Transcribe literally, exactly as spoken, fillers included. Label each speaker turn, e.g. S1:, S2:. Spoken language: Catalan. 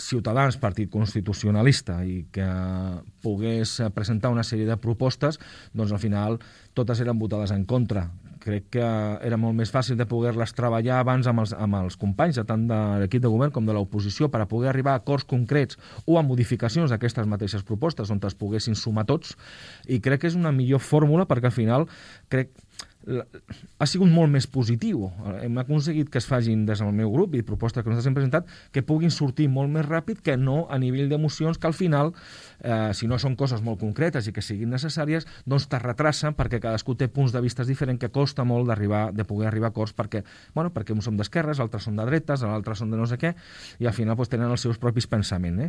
S1: Ciutadans, partit constitucionalista, i que pogués presentar una sèrie de propostes, doncs al final totes eren votades en contra. Crec que era molt més fàcil de poder-les treballar abans amb els, amb els companys, tant de l'equip de govern com de l'oposició, per a poder arribar a acords concrets o a modificacions d'aquestes mateixes propostes on es poguessin sumar tots, i crec que és una millor fórmula perquè al final crec ha sigut molt més positiu. Hem aconseguit que es facin des del meu grup i propostes que nosaltres hem presentat que puguin sortir molt més ràpid que no a nivell d'emocions que al final, eh, si no són coses molt concretes i que siguin necessàries, doncs te retracen perquè cadascú té punts de vista diferents que costa molt d'arribar de poder arribar a acords perquè, bueno, perquè uns som d'esquerres, altres són de dretes, altres són de no sé què, i al final doncs, tenen els seus propis pensaments. Eh?